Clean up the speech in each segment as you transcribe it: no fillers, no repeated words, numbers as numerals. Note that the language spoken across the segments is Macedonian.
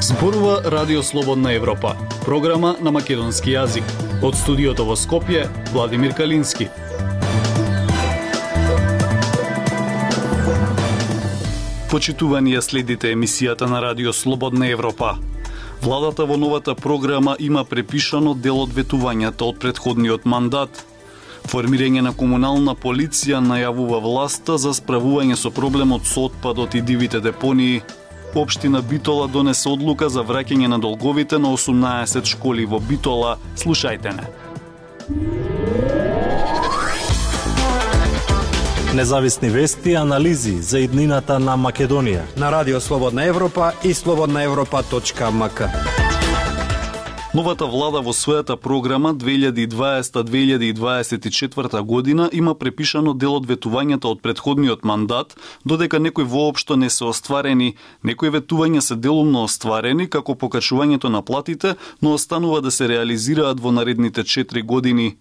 Зборува Радио Слободна Европа, програма на македонски јазик. Од студиото во Скопје, Владимир Калински. Почитувани ја следите емисијата на Радио Слободна Европа. Владата во новата програма има препишано дел од ветувањата од претходниот мандат. Формирање на комунална полиција најавува власта за справување со проблемот со отпадот и дивите депонии. Општина Битола донесе одлука за враќање на долговите на 18 школи во Битола. Слушајте не. Независни вести и анализи за иднината на Македонија на Радио Слободна Европа и slobodnaevropa.mk. Новата влада во својата програма 2020-2024 година има препишано дел од ветувањата од претходниот мандат, додека некои воопшто не се остварени, некои ветувања се делумно остварени, како покачувањето на платите, но останува да се реализираат во наредните 4 години.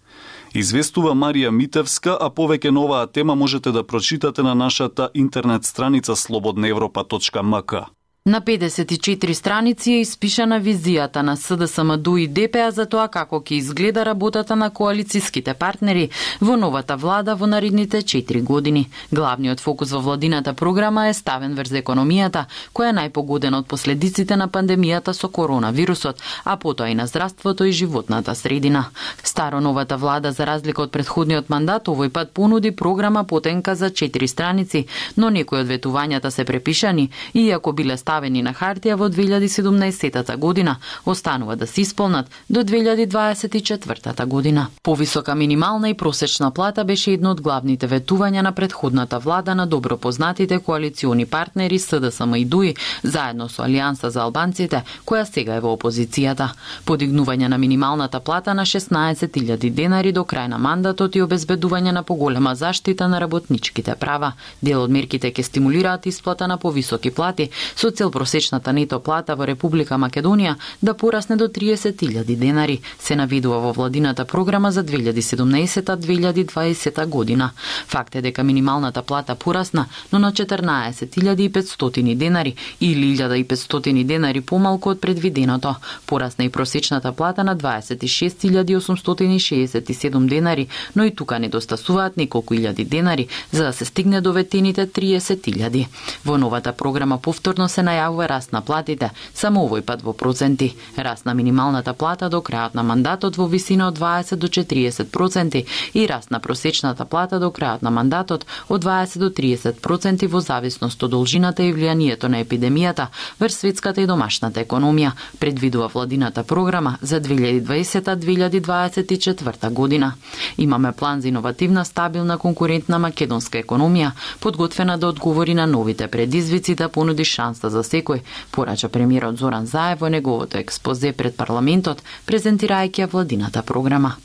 Известува Марија Митевска, а повеќе на оваа тема можете да прочитате на нашата интернет страница slobodnaevropa.mk. На 54 страници е испишана визијата на СДСМ-ДУ и ДПА за тоа како ќе изгледа работата на коалицијските партнери во новата влада во наредните 4 години. Главниот фокус во владината програма е ставен врз економијата, која е најпогодена од последиците на пандемијата со коронавирусот, а потоа и на здравството и животната средина. Старо новата влада, за разлика од претходниот мандат, овој пат понуди програма потенка за 4 страници, но некои од ветувањата се препишани, иако биле ставени на хартија во 2017 година, останува да се исполнат до 2024 година. Повисока минимална и просечна плата беше едно од главните ветувања на претходната влада на добро познатите коалициони партнери СДСМ и ДУИ, заедно со Алијанса за албанците, која сега е во опозицијата. Подигнување на минималната плата на 16.000 денари до крај на мандатот и обезбедување на поголема заштита на работничките права. Дел од мерките ќе стимулираат исплата на повисоки плати, со цел просечната нето плата во Република Македонија да порасне до 30.000 денари, се навидува во владината програма за 2017-2020 година. Факт е дека минималната плата порасна, но на 14.500 денари или 1.500 денари помалку од предвиденото. Порасна и просечната плата на 26.867 денари, но и тука недостасуваат неколку илјади денари за да се стигне до ветените 30.000. Во новата програма повторно се најавува раст на платите, само овој пат во проценти. Раст на минималната плата до крајот на мандатот во висина од 20 до 40% и раст на просечната плата до крајот на мандатот од 20 до 30% во зависност од должината и влијанието на епидемијата врз светската и домашната економија, предвидува владината програма за 2020-2024 година. Имаме план за иновативна, стабилна, конкурентна македонска економија, подготвена да одговори на новите предизвици, да понуди шанса за секој, порача премиерот Зоран Заев во неговото експозе пред парламентот, презентирајќи ја владината програма.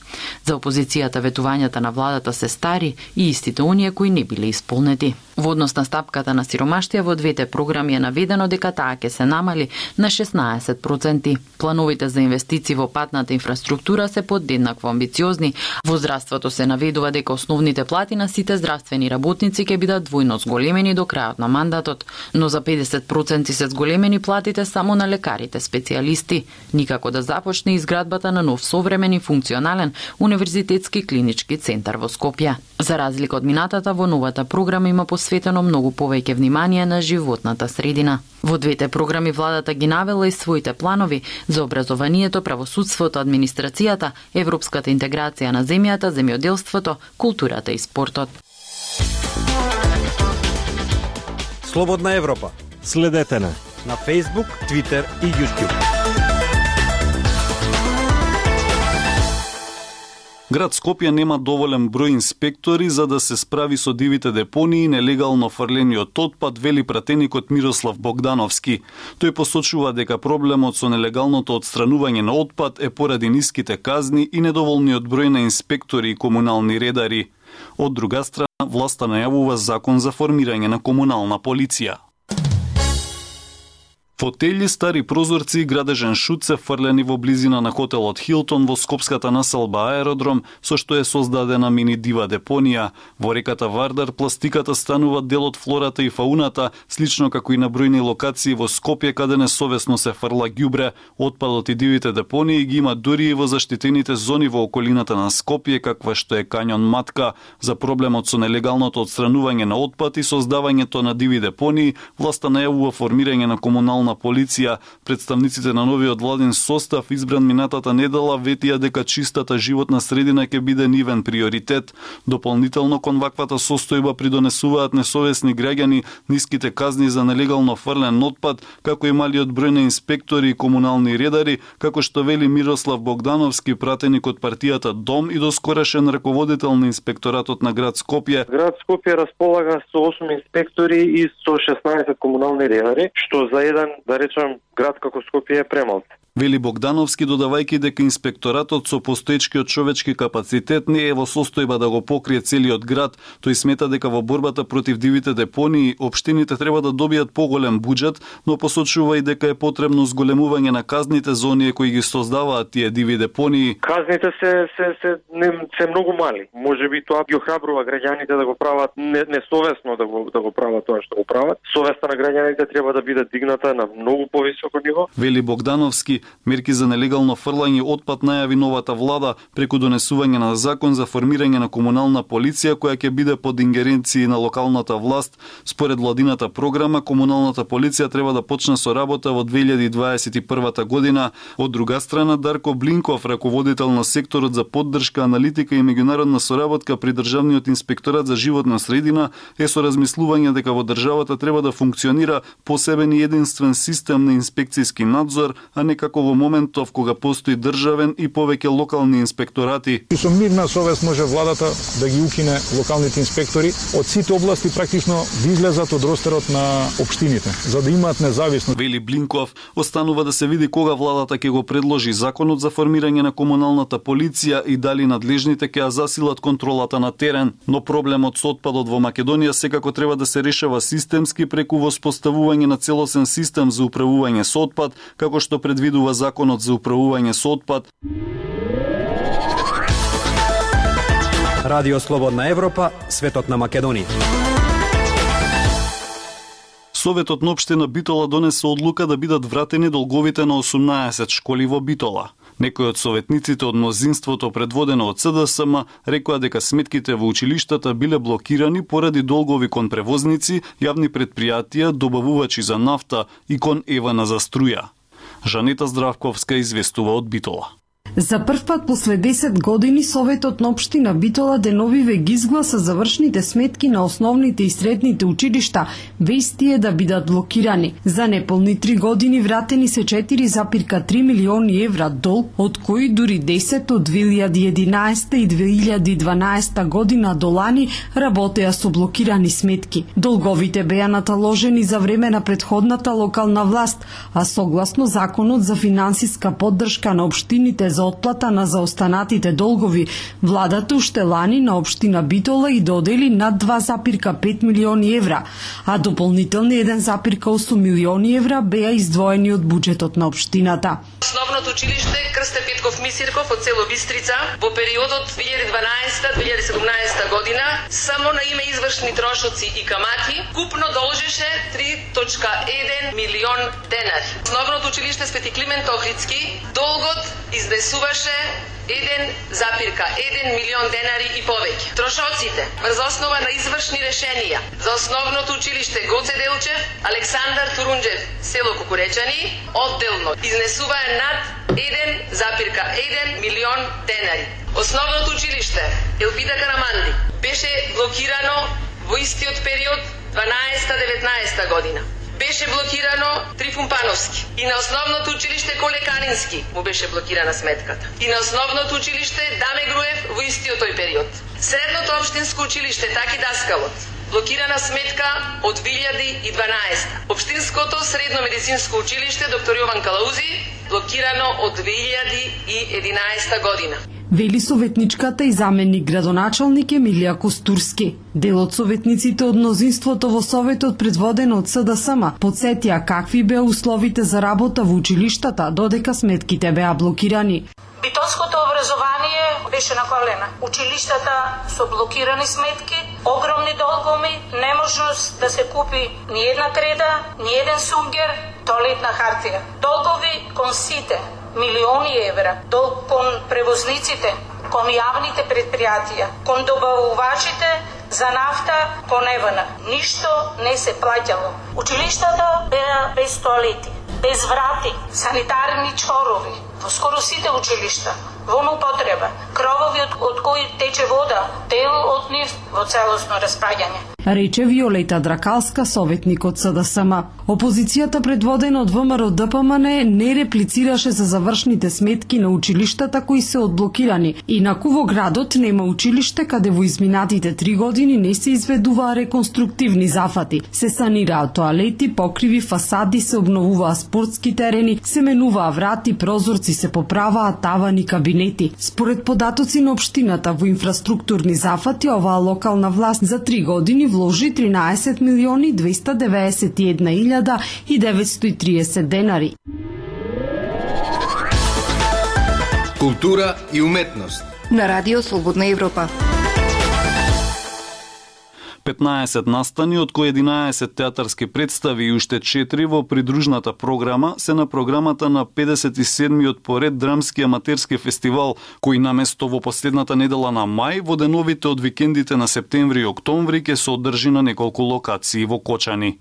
За опозицијата ветувањата на владата се стари и истите оние кои не биле исполнети. Во однос на стапката на сиромаштија во двете програми е наведено дека таа ќе се намали на 16%. Плановите за инвестиции во патната инфраструктура се подеднакво амбициозни. Во здравството се наведува дека основните плати на сите здравствени работници ќе бидат двојно зголемени до крајот на мандатот, но за 50% се зголемени платите само на лекарите специјалисти. Никако да започне изградбата на нов современ и функционален универзитетски клинички центар во Скопје. За разлика од минатата, во новата програма има посветено многу повеќе внимание на животната средина. Во двете програми владата ги навела и своите планови за образованието, правосудството, администрацијата, европската интеграција на земјата, земјоделството, културата и спортот. Слободна Европа. Следете на Facebook, Twitter и YouTube. Град Скопје нема доволен број инспектори за да се справи со дивите депонии и нелегално фрлениот отпад, вели пратеникот Мирослав Богдановски. Тој посочува дека проблемот со нелегалното отстранување на отпад е поради ниските казни и недоволниот број на инспектори и комунални редари. Од друга страна, власта најавува закон за формирање на комунална полиција. Фотели, стари прозорци и градежен шут се фрлени во близина на хотелот Хилтон во скопската населба Аеродром, со што е создадена мини дива депонија. Во реката Вардар пластиката станува дел од флората и фауната, слично како и на бројни локации во Скопје каде несовесно се фрла ѓубре. Отпадот и дивите депонии ги има дури и во заштитените зони во околината на Скопје, каква што е Кањон Матка. За проблемот со нелегалното отстранување на отпад и создавањето на диви депонии, власта најавува формирање на комунална полиција. Представниците на новиот владин состав избран минатата недела ветија дека чистата животна средина ќе биде нивен приоритет. Дополнително кон ваквата состојба придонесуваат несовесни граѓани, ниските казни за нелегално фрлен отпад, како и малиот број на инспектори и комунални редари, како што вели Мирослав Богдановски, пратеник од партијата Дом и доскорешен раководител на инспекторатот на град Скопје. Град Скопје располага со 8 инспектори и со 16 комунални редари, што за еден, да речем, град како Скопје е премал. Вели Богдановски, додавајќи дека инспекторатот со постоечкиот човечки капацитет не е во состојба да го покрие целиот град. Тој смета дека во борбата против дивите депонии општините треба да добијат поголем буџет, но посочува и дека е потребно зголемување на казните за оние кои ги создаваат тие диви депонии. Казните се многу мали. Можеби тоа ги охрабрува граѓаните да го прават несовесно да го прават тоа што го прават. Совеста на граѓаните треба да биде дигната на многу повисоко ниво. Вели Богдановски, мерки за нелегално фрлање отпад најави новата влада преку донесување на закон за формирање на комунална полиција која ќе биде под ингеренции на локалната власт. Според владината програма, комуналната полиција треба да почне со работа во 2021 година. Од друга страна, Дарко Блинков, раководител на секторот за поддршка, аналитика и меѓународна соработка при Државниот инспекторат за животна средина, е со размислување дека во државата треба да функционира посебен и единствен систем на инспекцијски надзор, а не како во моментов кога постои државен и повеќе локални инспекторати. Со мирна совест може владата да ги укине локалните инспектори од сите области, практично да излезат од ростерот на општините, за да имаат независност. Вели Блинков, останува да се види кога владата ќе го предложи законот за формирање на комуналната полиција и дали надлежните ќе ја засилат контролата на терен, но проблемот со отпадот во Македонија секако треба да се решава системски преку воспоставување на целосен систем за управување со отпад, како што предвидува законот за управување со отпад. Радио Слободна Европа, светот на Македонија. Советот на општина Битола донесе одлука да бидат вратени долговите на 18 школи во Битола. Некои од советниците од мнозинството предводено од СДСМ рекоа дека сметките во училиштата биле блокирани поради долгови кон превозници, јавни претпријатија, добавувачи за нафта и кон Евана за струја. Жанета Здравковска известува од Битола. За прв пат после 10 години Советот на општина Битола деновиве ги изгласа завршните сметки на основните и средните училишта, без тие да бидат блокирани. За неполни 3 години вратени се 4,3 милиони евра долг, од кои дури 10 од 2011 и 2012 година до лани работеа со блокирани сметки. Долговите беа наталожени за време на претходната локална власт, а согласно Законот за финансиска поддршка на општините за отплата на заостанатите долгови, владата уште лани на општина Битола и додели над 2,5 милиони евра, а дополнителни 1,8 милиони евра беа издвоени од буџетот на општината. Основното училиште Крсте Петков Мисирков од село Бистрица во периодот 2012-2017 година само на име извршни трошоци и камати купно должеше 3,1 милион денари. Основното училиште Свети Климент Охридски долгот изнесуваше 1,1 милион денари и повеќе. Трошоците врз основа на извршни решенија за основното училиште Гоце Делчев, Александар Турунџев, село Кукуречани, одделно изнесуваа над 1,1 милион денари. Основното училиште Елпида Караманди беше блокирано во истиот период 12-19 година. Беше блокирано Трифун Пановски. И на основното училиште Коле Канински му беше блокирана сметката. И на основното училиште Даме Груев во истиот тој период. Средното општинско училиште Таки Даскалот блокирана сметка од 2012. Општинското средно медицинско училиште Доктор Јован Калаузи блокирано од 2011 година. вели советничката и заменик градоначалник Емилија Костурски. Дел од советниците од мнозинството во Советот предводено од СДСМ подсетија какви беа условите за работа во училиштата додека сметките беа блокирани. Битолското образование беше на колена. Училиштата со блокирани сметки, огромни долгови, неможност да се купи ни една креда, ни еден сунгер, тоалетна хартија. Долгови кон сите, милиони евра, долг кон превозниците, кон јавните предпријатија, кон добавувачите за нафта кон ЕВН. Ништо не се плаќало. Училиштата беа без тоалети, без врати, санитарни чорови, во скоро сите училишта, во употреба, кровови од кои тече вода, дел од нив во целосно распаѓање. Рече Виолета Дракалска, советник од СДСМ. Опозицијата предводена од ВМРО ДПМН не реплицираше за завршните сметки на училиштата кои се одблокирани. Инаку во градот нема училиште каде во изминатите 3 години не се изведуваа реконструктивни зафати. Се санираа тоалети, покриви, фасади, се обновуваа спортски терени, се менуваа врати, прозорци, се поправаа тавани, кабинети. Според податоци на општината во инфраструктурни зафати, оваа локална власт за 3 години вложи 13.291.930 денари. Култура и уметност на Радио Слободна Европа. 15 настани, од кои 11 театарски представи и уште 4 во придружната програма се на програмата на 57-миот поред драмски аматерски фестивал, кој наместо во последната недела на мај, во деновите од викендите на септември и октомври ќе се одржи на неколку локации во Кочани.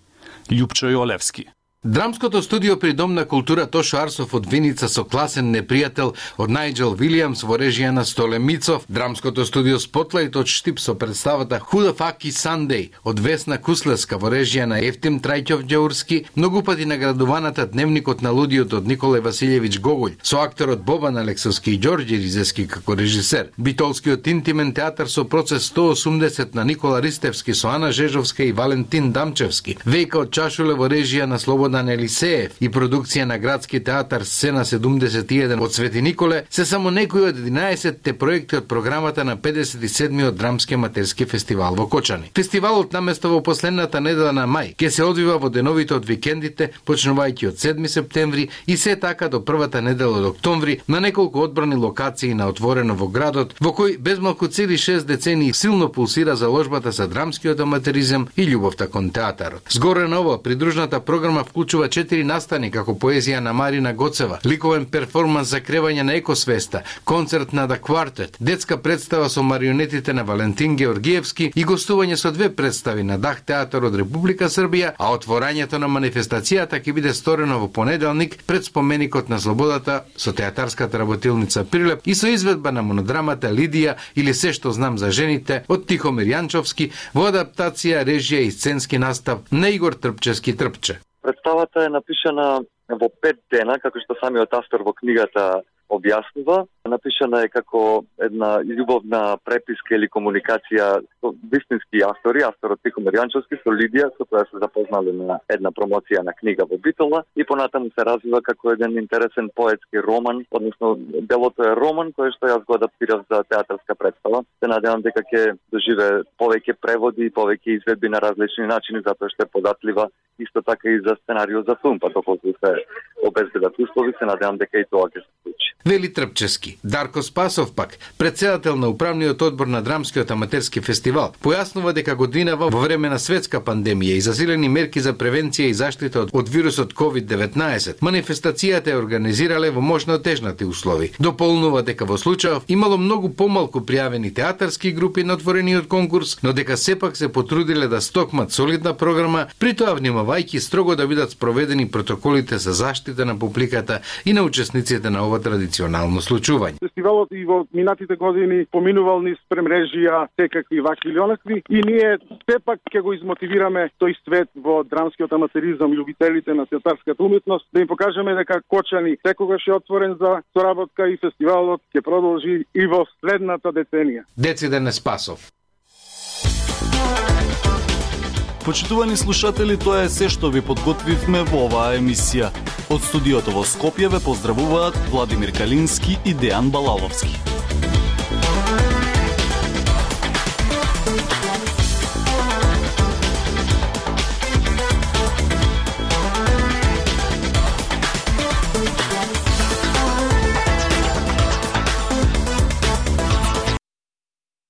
Љупчо Јолевски. Драмското студио при Дом на култура Тошо Арсов од Виница со класен непријател од Најджел Вилијамс во режија на Столе Мицов. Драмското студио Спотлајт од Штип со представата Худа Факи Сандеј од Весна Куслеска во режија на Ефтим Трајќов Ѓаурски, многу пати наградуваната Дневникот на лудиот од Николај Василјевиќ Гоголј, со акторот Бобан Алексовски и Ѓорѓе Ризески како режисер. Битолскиот интимен театар со процес 180 на Никола Ристевски со Ана Жежовска и Валентин Дамчевски. Вејка од Чашуле во режија на Слободан Елисеев и продукција на Градски театар Сцена 71 од Свети Николе се само некои од 11-те проекти од програмата на 57-миот драмски аматерски фестивал во Кочани. Фестивалот наместо во последната недела на мај ќе се одвива во деновите од викендите, почнувајќи од 7 септември и се така до првата недела од октомври на неколку одбрани локации на отворено во градот, во кој безмалку цели 6 децении силно пулсира заложбата за драмскиот аматеризам и љубовта кон театарот. Згоре на ова, придружната програма вклучува 4 настани како поезија на Марина Гоцева, ликовен перформанс за кревање на екосвеста, концерт на The Quartet, детска представа со марионетите на Валентин Георгиевски и гостување со 2 представи на Дах театар од Република Србија, а отворањето на манифестацијата ќе биде сторено во понеделник пред споменикот на слободата со театарската работилница Прилеп и со изведба на монодрамата Лидија или Се што знам за жените од Тихомир Јанчовски во адаптација, режија и сценски настав на Игор Трпчевски Трпче. Представата е напишана во 5 дена, како што самиот автор во книгата објаснува. Напишана е како една љубовна преписка или комуникација со вистински автори, авторот Тихомир Јанчовски со Лидија, со која се запознале на една промоција на книга во Битола и понатаму се развива како еден интересен поетски роман, односно делото е роман кој што јас го адаптирав за театарска представа. Се надевам дека ќе доживее повеќе преводи и повеќе изведби на различни начини, затоа што е податлива исто така и за сценарио за филм, па доколку се обезбедат услови, се надевам дека и тоа ќе се случи. Вели Трпчевски. Дарко Спасов пак, председател на управниот одбор на Драмскиот аматерски фестивал, појаснува дека годинава во време на светска пандемија и засилени мерки за превенција и заштита од вирусот COVID-19, манифестацијата е организирале во можно тежнати услови. Дополнува дека во случајов имало многу помалку пријавени театарски групи на отворениот конкурс, но дека сепак се потрудиле да стокмат солидна програма, при тоа внимавајќи строго да бидат спроведени протоколите за заштита на публиката и на учесниците на ова традиционално случување. Фестивалот и во минатите години поминувал низ премрежија секакви вакви или онакви и ние сепак ќе го измотивираме тој свет во драмскиот аматеризам и љубителите на театарската уметност, да им покажеме дека Кочани секогаш е отворен за соработка и фестивалот ќе продолжи и во следната деценија. Дециден Спасов. Почитувани слушатели, тоа е се што ви подготвивме во оваа емисија. Од студиото во Скопје ве поздравуваат Владимир Калински и Дејан Балаловски.